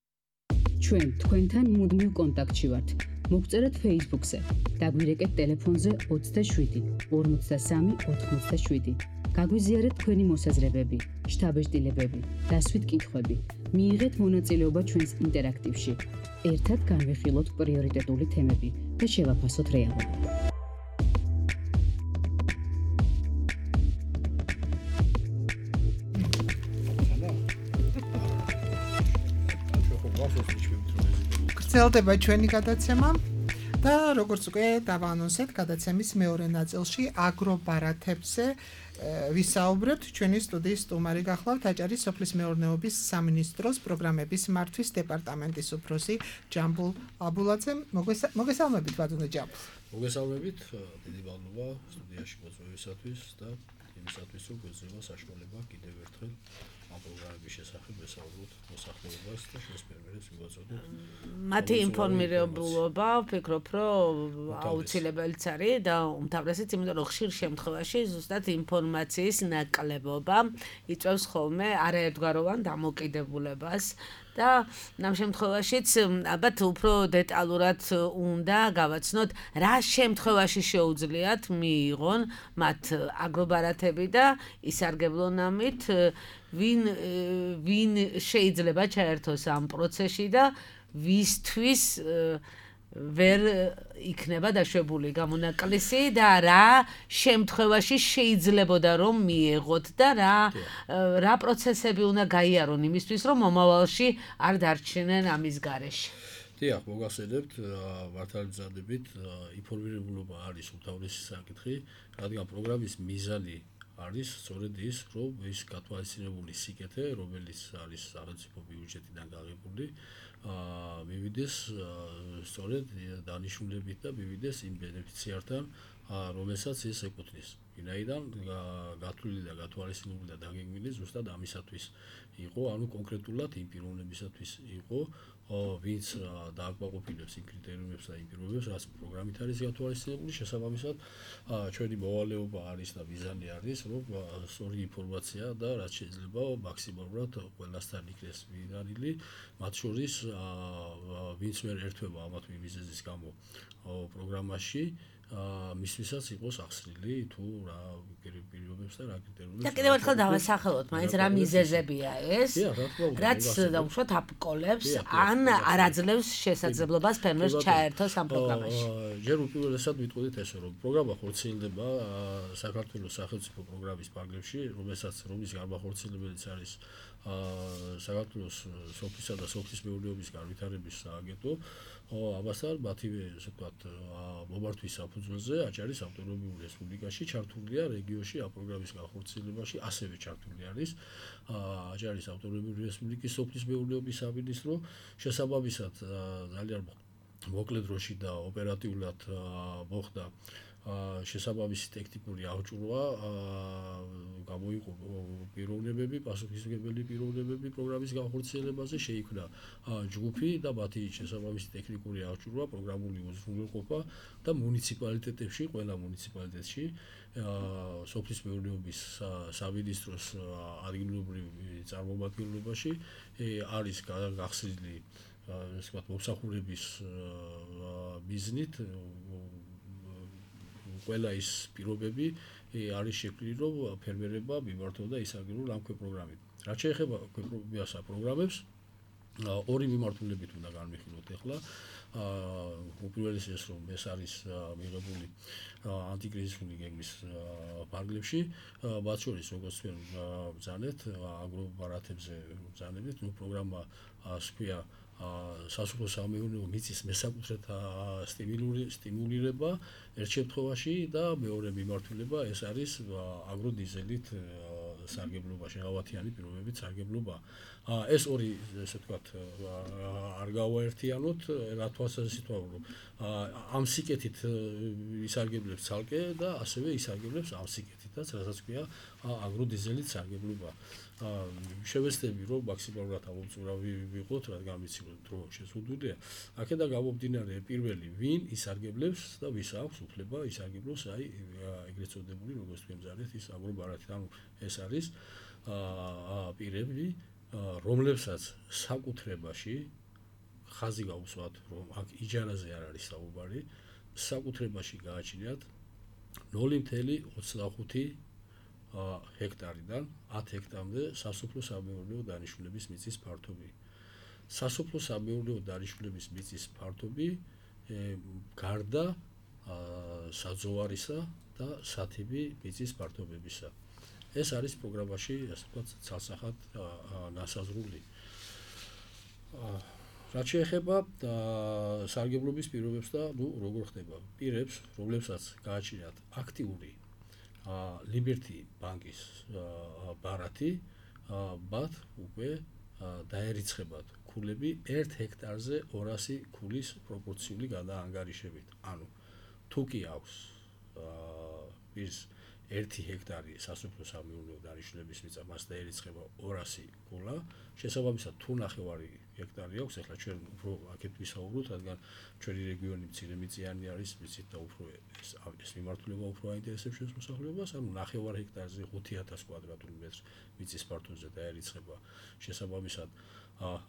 ჩვენ თქვენთან მუდმივ კონტაქტში ვართ. მოგწერეთ Facebook-ზე, დაგვირეკეთ ტელეფონზე ოცდაშვიდი ორმოცდასამი ოთხმოცდაშვიდი. გაგვიზიარეთ თქვენი მოსაზრებები, შთაბეჭდილებები, დასვით კითხვები. მიიღეთ მონაწილეობა ჩვენს ინტერაქტივში. ერთად განვიხილოთ პრიორიტეტული თემები და შევაფასოთ რეალობა. გრძელდება ჩვენი გადაცემა და როგორც უკვე დავაანონსეთ, გადაცემის მეორე ნაწილში აგრობარათებზე ვისაუბრებთ. ჩვენი სტუდიის სტუმარი გახლავთ აჭარის სოფლის მეურნეობის სამინისტროს პროგრამების მართვის დეპარტამენტის უფროსი ჯამბულ აბულაძე. მოგესალმებით ბატონო ჯამბულ. მოგესალმებით, დიდი მადლობა სტუდიაში მოწვევისათვის და იმისათვის, რომ გვეძლება საშუალება კიდევ ერთხელ ამ პროგრამების შესახებ ვესაუბროთ მოსახლეობას და ჩვენს ფერმერებს მივაწოდოთ. მათი ინფორმირებულობა, ვფიქრობ, რომ აუცილებელიც არის და უმთავრესად იმიტომ, რომ ხშირ შემთხვევაში ზუსტად ინფორმაციის ნაკლებობა იწვევს ხოლმე არაერთგვაროვან დამოკიდებულებას. და ამ შემთხვევაშიც ალბათ უფრო დეტალურად უნდა გავაცნოთ, რა შემთხვევაში შეუძლიათ მიიღონ მათ აგრობარათები და ისარგებლონ ამით, ვინ ვინ შეიძლება ჩაერთოს ამ პროცესში და ვისთვის ვერ იქნება დაშვებული გამონაკლისი და რა შემთხვევაში შეიძლებოდა რომ მიიღოთ და რა რა პროცესები უნდა გაიარონ იმისთვის რომ მომავალში არ დარჩნენ ამის გარეშე. დიახ, მოგახსენებთ, მართალი მზადებით, ინფორმირებულობა არის უმთავრესი საკითხი, რადგან პროგრამის მიზანი არის სწორედ ის, რომ ის გათვალისწინებული სიკეთე, რომელიც არის სახელმწიფო ბიუჯეტიდან გაღებული, აა მივიდეს სწორედ დანიშნულებით და მივიდეს იმ ბენეფიციართან, რომელსაც ის ეკუთვნის. ვინაიდან გათვლილი და გათვალისწინებული და დაგეგმილი ზუსტად ამისათვის იყო, ანუ კონკრეტულად იმ პიროვნებისათვის იყო, ვინც დააკმაყოფილებს იმ კრიტერიუმებს და იმ პირობებს, რაც პროგრამით არის გათვალისწინებული, შესაბამისად ჩვენი მოვალეობა არის და მიზანი არის, რომ სწორი ინფორმაცია და რაც შეიძლება მაქსიმალურად ყველასთან იქნეს მიღწეული, მათ შორის ვინც ვერ ერთვება ამათ მიზეზის გამო პროგრამაში, მისთვისაც იყოს ახსნილი თუ რა პირობებს და რა კრიტერიუმებს. და კიდევ ერთხელ დავასახელოთ, მაინც რა მიზეზებია ეს, რაც უშუალოდ აპკოლებს ან არ აძლევს შესაძლებლობას ფერმერს ჩაერთოს ამ პროგრამაში. ჯერ უპირველესად ვიტყოდით ესე, რომ პროგრამა ხორციელდება საქართველოს სახელმწიფო პროგრამის ფარგლებში, რომელსაც რომლის გამახორციელებელიც არის საქართველოს სოფლისა და სოფლის მეურნეობის განვითარების სააგენტო. ამასთან მათივე, ასე ვთქვათ, მომართვის საფუძველზე აჭარის ავტონომიურ რესპუბლიკაში ჩართულია რეგიონში ამ პროგრამის განხორციელებაში, ასევე ჩართული არის აჭარის ავტონომიური რესპუბლიკის სოფლის მეურნეობის სამინისტრო. შესაბამისად, ძალიან მოკლე დროში და ოპერატიულად მოხდა შესაბამისი ტექნიკური აღჭურვა, გამოიყო პიროვნებები, პასუხისმგებელი პიროვნებები პროგრამის განხორციელებაზე, შეიქმნა ჯგუფი და მათი შესაბამისი ტექნიკური აღჭურვა, პროგრამული უზრუნველყოფა და მუნიციპალიტეტებში, ყველა მუნიციპალიტეტში სოფლის მეურნეობის სამინისტროს ადგილობრივ წარმომადგენლობაში არის გახსნილი, ასე ვთქვათ, მომსახურების მიზნით ყველა ის პირობები არის შექმნილი, რომ ფერმერებმა მიმართონ და ისარგებლონ ამ პროგრამით. რაც შეეხება ქვეპროგრამას პროგრამებს, ორი მიმართულებით უნდა განვიხილოთ ახლა. უპირველეს ეს რომ ეს არის მიღებული ანტიკრიზისული გეგმის ფარგლებში, მათ შორის როგორც თქვენ ბრძანეთ, აგრობარათებზე ბრძანებით, ნუ პროგრამა ჰქვია სასოფლო-სამეურნეო მიწის მესაკუთრეთა სტიმულირება ერთ შემთხვევაში და მეორე მიმართულება ეს არის აგროდიზელით სარგებლობა, შეღავათიანი პირობებით სარგებლობა. ეს ორი ესე ვთქვათ არ გავაერთიანოთ, რა თვალსაზრისით ვაუბრობ. ამ სიკეთით ისარგებლებს ცალკე და ასევე ისარგებლებს ამ სიკეთითაც, რასაც ქვია აგროდიზელით სარგებლობა. შევეცდები რომ მაქსიმალურად ამოწურავი ვიყოთ, რადგან ვიცი რომ დრო შეზღუდულია. აქედან გამომდინარე პირველი ვინ ისარგებლებს და ვის აქვს უფლება ისარგებლოს, აი ეგრეთ წოდებული როგორც თქვენ ზარეთ ის აგრობარათი. ანუ ეს არის პირები, რომლებსაც საკუთრებაში ხაზი გავუსვათ, რომ აქ იჯარაზე არ არის საუბარი, საკუთრებაში გააჩნიათ ნული ოცდაოთხ ჰექტარიდან ათ ჰექტარამდე სასოფლო-სამეურნეო დანიშნულების მიწის ფართობი. სასოფლო-სამეურნეო დანიშნულების მიწის ფართობი გარდა საძოვარისა და სათიბი მიწის ფართობებისა. ეს არის პროგრამაში, ასე ვთქვათ, ცალსახად ნასაზრული. რაც შეეხება სარგებლობის პირობებს და ნუ როგორ ხდება პირებს, რომლებსაც გააჩნიათ აქტიური ლიბერტი ბანკის ბარათი, მათ უკვე დაერიცხებათ ქულები ერთ ჰექტარზე ორასი ქულის პროპორციული გადაანგარიშებით. ანუ თუ კი აქვს ის ერთი ჰექტარი სასოფლო-სამეურნეო დანიშნულების მიწა, მას დაერიცხება ორასი ქულა, შესაბამისად თუ ნახევარი ჰექტარი აქვს, ახლა ჩვენ უფრო აქეთ ვისაუბროთ, რადგან ჩვენი რეგიონი მცირე მიწიანი არის, ვიცით და უფრო ეს ეს მიმართულება უფრო აინტერესებს ჩვენს მოსახლეობას, ანუ ნახევარ ჰექტარზე ხუთი ათასი კვადრატული მეტრი მიწის ფართობზე დაერიცხება შესაბამისად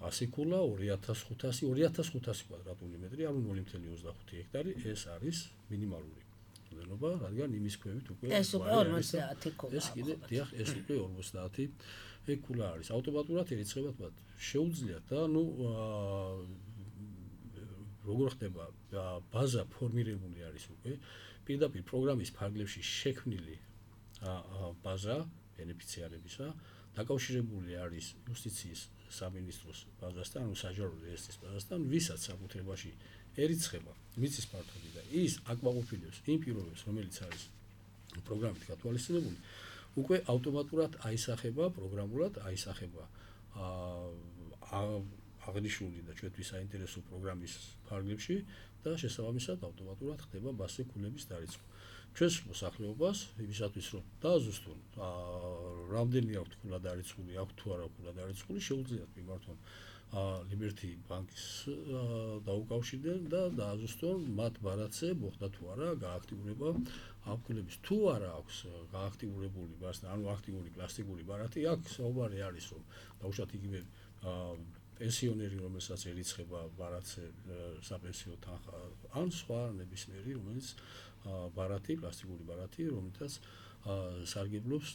ასი ქულა, ორი ათას ხუთასი, ორი ათას ხუთასი კვადრატული მეტრი, ანუ ნული ოცდაოთხ ჰექტარი, ეს არის მინიმალური ნობა, რადგან იმის ქვევით უკვე ეს უკვე ორმოცდაათი ქულა. ეს კიდე დიახ, ეს უკვე ორმოცდაათი ქულა არის. ავტომატურად ერიცხებათ მათ. შეუძლიათ და ნუ როგორ ხდება ბაზა ფორმირებული არის უკვე პირდაპირ პროგრამის ფარგლებში შექმნილი ბაზა ბენეფიციარებისა, დაკავშირებული არის იუსტიციის სამინისტროს ბაზასთან, ანუ საჯარო რეესტრის ბაზასთან, ვისაც საკუთრებაში ერიცხება მიწის ფართობი და ის აკმაყოფილებს იმ პირობებს, რომელიც არის პროგრამით გათვალისწინებული, უკვე ავტომატურად აისახება პროგრამულად აისახება აღნიშნული და ჩვენთვის საინტერესო პროგრამის ფარგლებში და შესაბამისად ავტომატურად ხდება ბასე ქულების დარიცხვა. ჩვენს მოსახლეობას იმისათვის რომ დააზუსტონ რამდენი აქვს ქულა დარიცხული, აქვს თუ არა ქულა დარიცხული, შეუძლიათ მიმართონ ლიბერტი ბანკის დაუკავშირდნენ და დააზუსტონ მათ ბარათზე მოხდა თუ არა გააქტიურება ამ ქულების. თუ არა აქვს გააქტიურებული ბარათი, ანუ აქტიური კლასიკური ბარათი, აქ საუბარი არის რომ დაუშვათ იგივე პენსიონერი, რომელსაც ერიცხება ბარათზე საპენსიო თანხა, ან სხვა ნებისმიერი, რომელიც ბარათი, პლასტიკური ბარათი, რომელთაც სარგებლობს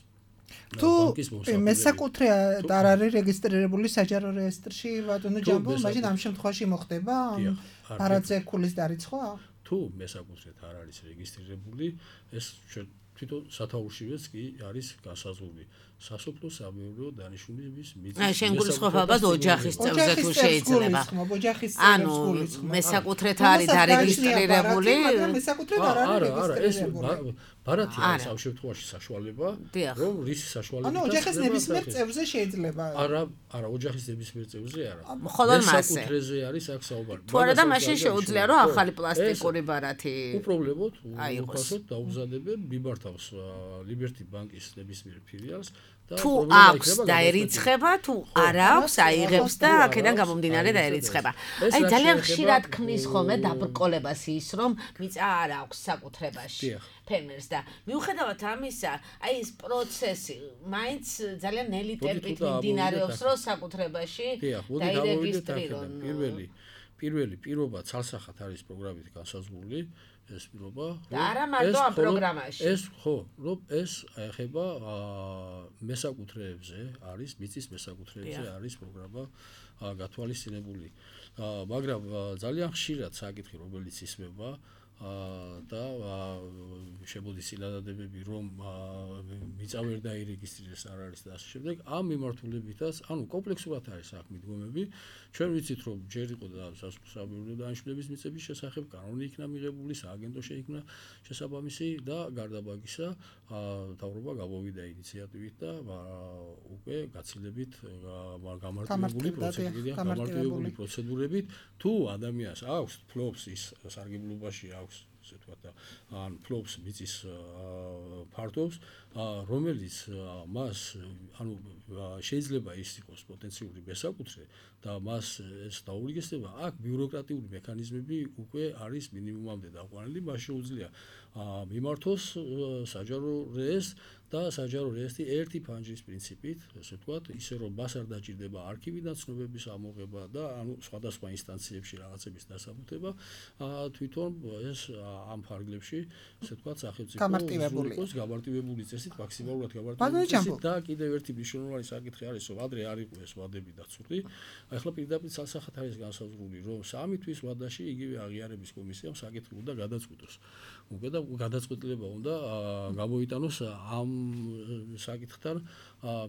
თუ მესაკუთრე არ არის რეგისტრირებული საჯარო რეესტრში, ბატონო ჯამბო, მაშინ ამ შემთხვევაში მოხდება ბარათზე ქულის დარიცხვა? თუ მესაკუთრეთ არ არის რეგისტრირებული, ეს თვითონ სათაურშივეც კი არის განსაზღვრული. სასოფლო-სამეურნეო დანიშნულების მიწის. აი, შენ გულისხმობ ოჯახის წევრზე თუ შეიძლება. ანუ მესაკუთრეთ არის დარეგისტრირებული, მაგრამ მესაკუთრეთ არ არის რეგისტრირებული. ბარათი არის ამ შემთხვევაში საშუალება, რომ რის საშუალებით. ანუ ოჯახის ნებისმიერ წევრზე შეიძლება. არა, არა, ოჯახის ნებისმიერ წევრზე არა. მხოლოდ მასზე. მესაკუთრეზე არის აქ საუბარი. თუ არა და მაშინ შეუძლია რომ ახალი პლასტიკური ბარათი. უპრობლემოდ, უფასოდ დაუგზადებენ, მიმართავს ლიბერტი ბანკის ნებისმიერ ფილიალს. თუ აქვს დაერიცხება, თუ არ აქვს, აიღებს და აქედან გამომდინარე დაერიცხება. აი ძალიან ხშირად ქმნის ხოლმე დაბრკოლებას ის, რომ მიწა არ აქვს საკუთრებაში ფერმერს და მიუხედავად ამისა, აი ეს პროცესი მაინც ძალიან ნელი ტემპით მიმდინარეობს, რომ საკუთრებაში დაირეგისტრირონ. პირველი პირველი პირობა ცალსახად არის პროგრამით განსაზღვრული. ეს პირობა და არა მარტო ამ პროგრამაში. ეს ხო, რომ ეს ეხება მესაკუთრეებზე, არის მიწის მესაკუთრეებზე არის პროგრამა გათვალისწინებული. მაგრამ ძალიან ხშირად საკითხი, რომელიც ისმება და შემოდის წინადადებები რომ მიწა ვერ დაირეგისტრირდეს არ არის და ასე შემდეგ ამ მიმართულებითაც ანუ კომპლექსურად არის აქ მიდგომები ჩვენ ვიცით რომ ჯერ იყო და სასამართლო დანიშნულების მიწების შესახებ კანონი იქნა მიღებული სააგენტო შეიქმნა შესაბამისი და გარდა მაგისა მთავრობა გამოვიდა ინიციატივით და უკვე გაცილებით გამარტივებული პროცედურით გამარტივებული პროცედურებით თუ ადამიანს აქვს ფლობს ის სარგებლობაში აქვს ასე ვთქვათ და ან ფლობს მიწის ფართობს რომელიც მას ანუ შეიძლება ის იყოს პოტენციური მესაკუთრე და მას ეს დაურიგესება აქ ბიუროკრატიული მექანიზმები უკვე არის მინიმუმამდე დაყვანილი მას შეუძლია მიმართოს საჯარო რეესტრს და საჯარო რეესტრი ერთი ფანჯრის პრინციპით, ასე ვთქვათ, ისე რომ მას არ დაჭირდება არქივიდან ცნობების ამოღება და ანუ სხვადასხვა ინსტანციებში რაღაცების დასაბუთება, თვითონ ეს ამ ფარგლებში, ასე ვთქვათ, სახელმწიფო უზრუნველყოფს გამარტივებული წესით, მაქსიმალურად გამარტივებული წესით და კიდევ ერთი მნიშვნელოვანი საკითხი არის, რომ ადრე არ იყო ეს ვადები დაცული. ახლა პირდაპირ სასახად არის განსაზღვრული, რომ სამი თვის ვადაში იგივე აღიარების კომისიამ საკითხი უნდა გადაწყვიტოს. უკვე და გადაწყვეტილება უნდა გამოიტანოს ამ საკითხთან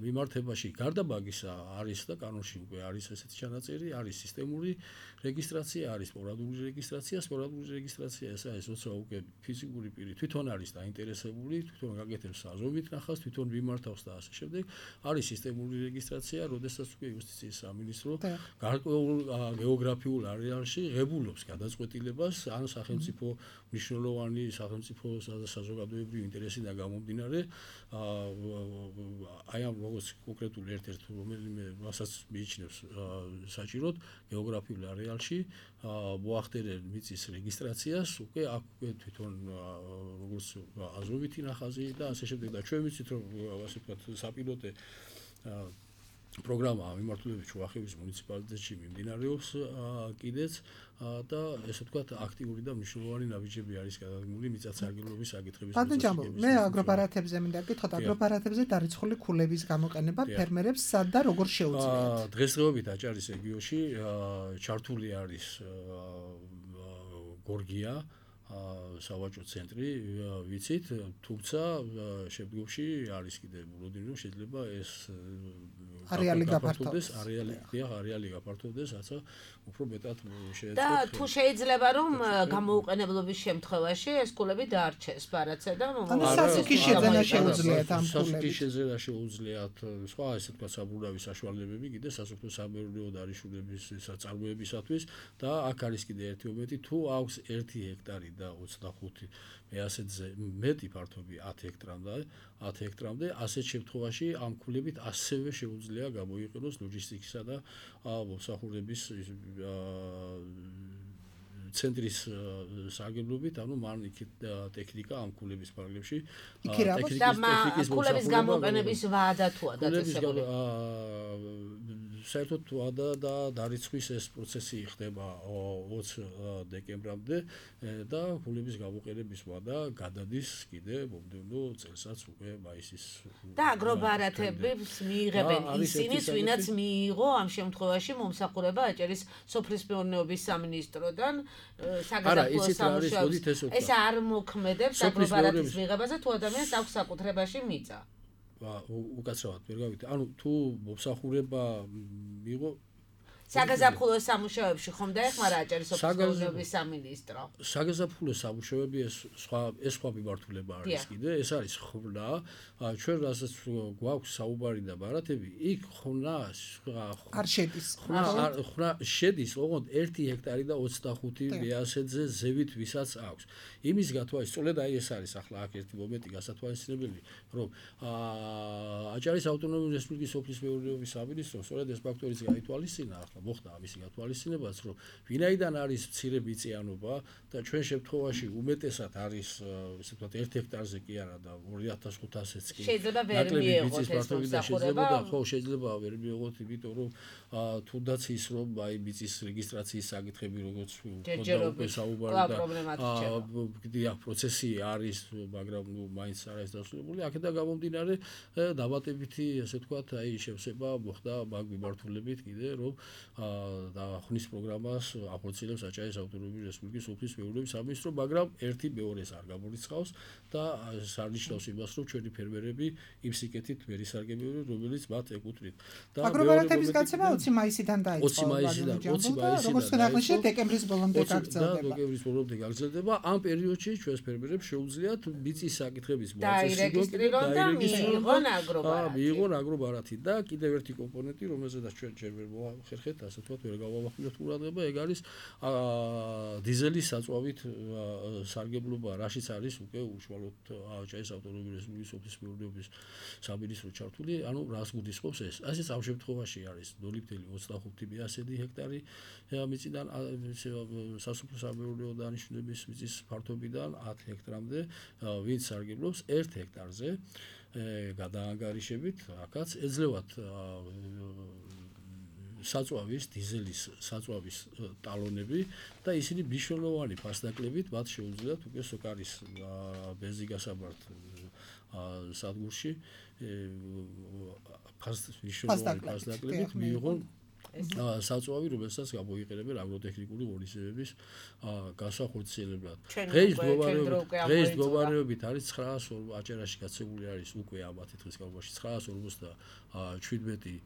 მიმართებაში გარდა მაგისა არის და კანონში უკვე არის ესეთი ჩანაწერი, არის სისტემური რეგისტრაცია, არის სპორადული რეგისტრაცია, სპორადული რეგისტრაცია ეს არის როცა უკვე ფიზიკური პირი თვითონ არის დაინტერესებული, თვითონ გაკეთებს საზომით ნახავს, თვითონ მიმართავს და ასე შემდეგ. არის სისტემური რეგისტრაცია, როდესაც უკვე იუსტიციის სამინისტრო გარკვეულ გეოგრაფიულ არეალში ღებულობს გადაწყვეტილებას ან სახელმწიფო მნიშვნელოვანი სახელმწიფო საზოგადოებრივი ინტერესიდან გამომდინარე აი ამ როგორც კონკრეტულ ერთ-ერთ რომელიმე მასაც მიიჩნევს საჭიროდ გეოგრაფიულ არეალში მოახდენელ მიწის რეგისტრაციას უკვე აქ თვითონ როგორც აზოვითი ნახაზი და ასე შემდეგ და ჩვენ ვიცით რომ ასე ვთქვათ საპილოტე პროგრამა მიმართულებით შუახევის მუნიციპალიტეტში მიმდინარეობს კიდეც და ესე ვთქვათ აქტიური და მნიშვნელოვანი ნაბიჯები არის გადადგმული მიწათსარგებლობის საკითხების შესახებ. მე აგრობარათებზე მინდა გითხოთ, აგრობარათებზე დარიცხული ქულების გამოყენება ფერმერებს სად და როგორ შეუძლიათ? დღესდღეობით აჭარის რეგიონში ჩართული არის გორგია სავაჭრო ცენტრი ვიცით, თუმცა შემდგომში არის კიდევ მოლოდინი, შეიძლება ეს არეალი გაფართოვდეს, არეალი არეალი გაფართოვდეს, რაცა უფრო მეტად შეეძლოთ. და თუ შეიძლება რომ გამოუყენებლობის შემთხვევაში ეს ქულები დაარჩეს ბარათზე და ანუ სასუქის შეძენა შეუძლიათ ამ ქულებს. სასუქის შეძენა შეუძლიათ სხვა ესე თქვა საბურავი საშუალებები კიდე სასოფლო სამეურნეო დარიშულების საწარმოებისათვის და აქ არის კიდე ერთი მომენტი, თუ აქვს ერთი ჰექტარი და ოცდახუთი მე ასეთზე მეტი ფართობი ათი ჰექტრამდე, ათი ჰექტრამდე, ასეთ შემთხვევაში ამ ქულებით ასევე შეუძლია გამოიყენოს ლოჯისტიკისა და მოსახურების ცენტრის სარგებლობით, ანუ მან იქით ტექნიკა ამ ქულების ფარგლებში ტექნიკის ქულების გამოყენების ვადა თუა დაწესებული. საერთოდ ვადა და დარიცხვის ეს პროცესი ხდება ოცი დეკემბრამდე და ქულების გამოყენების ვადა გადადის კიდე მომდევნო წელსაც უკვე მაისის და აგრობარათებს მიიღებენ ისინიც, ვინაც მიიღო ამ შემთხვევაში მომსახურება აჭარის სოფლის მეურნეობის სამინისტროდან საგაზაფხულო სამუშაოებს. ეს არ მოქმედებს აგრობარათის მიღებაზე თუ ადამიანს აქვს საკუთრებაში მიწა. უკაცრავად ვერ გავიგე. ანუ თუ მომსახურება მიიღო საგაზაფხულო სამუშაოებში ხომ დაეხმარა აჭარის სოფლის მეურნეობის სამინისტრო? საგაზაფხულო სამუშაოები ეს სხვა ეს სხვა მიმართულება არის კიდე, ეს არის ხვრნა. ჩვენ რასაც გვაქვს საუბარი და ბარათები, იქ ხვრნა არ შედის. ხვრნა შედის, ოღონდ ერთი ჰექტარი და ოცდახუთი მეასეთზე ზევით ვისაც აქვს. იმის გათვალისწინებით, სწორედ აი ეს არის ახლა აქ ერთი მომენტი გასათვალისწინებელი, რომ აჭარის ავტონომიური რესპუბლიკის სოფლის მეურნეობის სამინისტრომ სწორედ ეს ფაქტორიც გაითვალისწინა ახლა მოხდა ამისი გათვალისწინებაც, რომ ვინაიდან არის მცირე მიწიანობა და ჩვენ შემთხვევაში უმეტესად არის ესე ვთქვათ ერთ ჰექტარზე კი არა და ორი ათას ხუთასიც კი შეიძლება ვერ მიიღოთ ეს მოსახურება, ხო შეიძლება ვერ მიიღოთ, იმიტომ რომ თუნდაც ის რომ აი მიწის რეგისტრაციის საკითხები როგორც ხოდა უკვე საუბარი და კიდე პროცესი არის, მაგრამ ნუ მაინც არ არის დასრულებული. აქედან გამომდინარე დამატებითი ესე ვთქვათ აი შევსება მოხდა მაგ მიმართულებით კიდე რომ და ხნის პროგრამას ახორციელებს აჭარის ავტონომიური რესპუბლიკის სოფლის მეურნეობის სამინისტრო, მაგრამ ერთი მეორეს არ გამორიცხავს და სარნიშნავს იმას, რომ ჩვენი ფერმერები იმ სიკეთით ვერ ისარგებლებენ, რომელიც მათ ეკუთვნით. და აგრობარათების გაცემა ოცი მაისიდან დაიწყო. ოცი მაისიდან, ოცი მაისიდან. როგორც აღნიშნე, დეკემბრის ბოლომდე გაგრძელდება. დეკემბრის ბოლომდე გაგრძელდება. ამ პერიოდში ჩვენს ფერმერებს შეუძლიათ მიწის საკითხების მოწესრიგება და მიიღონ აგრობარათი. აა, მიიღონ აგრობარათი და კიდევ ერთი კომპონენტი, რომელზედაც ჩვენ ჯერ ვერ მოახერხეთ, ასე ვთქვათ, ვერ გავავახვილოთ ყურადღება, ეგ არის აა დიზელის საწვავით სარგებლობა, რაშიც არის უკვე უშუალოდ აჭარის ავტონომიური რესპუბლიკის სოფლის მეურნეობის სამინისტრო ჩართული, ანუ რას გულისხმობს ეს? ასეც ამ შემთხვევაში არის ნული ათეული ოცდახუთი მეასედი ჰექტარი მიწიდან სასოფლო სამეურნეო დანიშნულების მიწის ფართობიდან ათი ჰექტრამდე, ვინც სარგებლობს ერთ ჰექტარზე გადაანგარიშებით, აქაც ეძლევათ საწვავის, დიზელის საწვავის ტალონები და ისინი მნიშვნელოვანი ფასდაკლებით მათ შეუძლიათ უკვე სოკარის ბენზინგასამართ სადგურში მნიშვნელოვანი ფასდაკლებით მიიღონ საწვავი, რომელსაც გამოიყენებენ აგროტექნიკური ღონისძიებების განსახორციელებლად. დღეს დღეს მდგომარეობით არის ცხრაას აჭარაში გაცემული არის უკვე ამათი დღის განმავლობაში ცხრაას ორმოცდაშვიდმეტი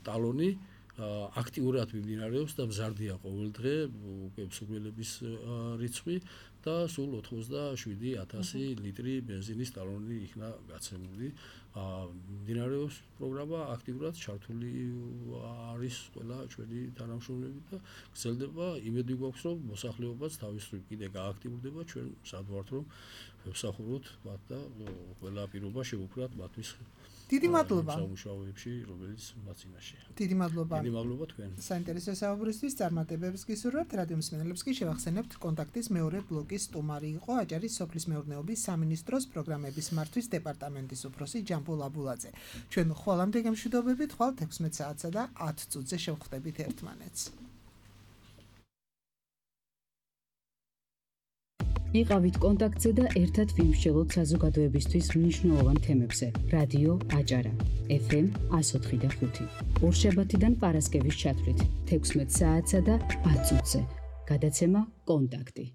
ტალონი აქტიურად მიმდინარეობს და მზარდია ყოველ დღე უკვე მსურველების რიცხვი და სულ ოთხმოცდაშვიდი ათასი ლიტრი ბენზინის ტალონი იქნა გაცემული. მიმდინარეობს პროგრამა, აქტიურად ჩართული არის ყველა ჩვენი თანამშრომლები და გრძელდება. იმედი გვაქვს, რომ მოსახლეობაც თავის მხრივ კიდე გააქტიურდება, ჩვენ მზად ვართ, რომ ვსახუროთ მათ და ყველა პირობა შევუქმნათ მათთვის. დიდი მადლობა სამუშაოებში, რომელიც მათ წინაშეა. დიდი მადლობა. დიდი მადლობა თქვენ. საინტერესო საუბრისთვის წარმატებებს გისურვებთ. რადიო მსმენელებს კი შევახსენებთ, კონტაქტის მეორე ბლოკის სტუმარი იყო აჭარის სოფლის მეურნეობის სამინისტროს პროგრამების მართვის დეპარტამენტის უფროსი ჯამბულ აბულაძე. ჩვენ ხვალამდე გემშვიდობებით, ხვალ ექვსმეტ საათსა და ათ წუთზე შევხვდებით ერთმანეთს. იყავით კონტაქტზე და ერთად ვიმსჯელოთ საზოგადოებისთვის მნიშვნელოვან თემებზე. რადიო აჭარა ეფ ემ εκατო ოთხი და ხუთი. ორშაბათიდან პარასკევის ჩათვლით ექვსმეტ საათსა და ათ წუთზე. გადაცემა კონტაქტი.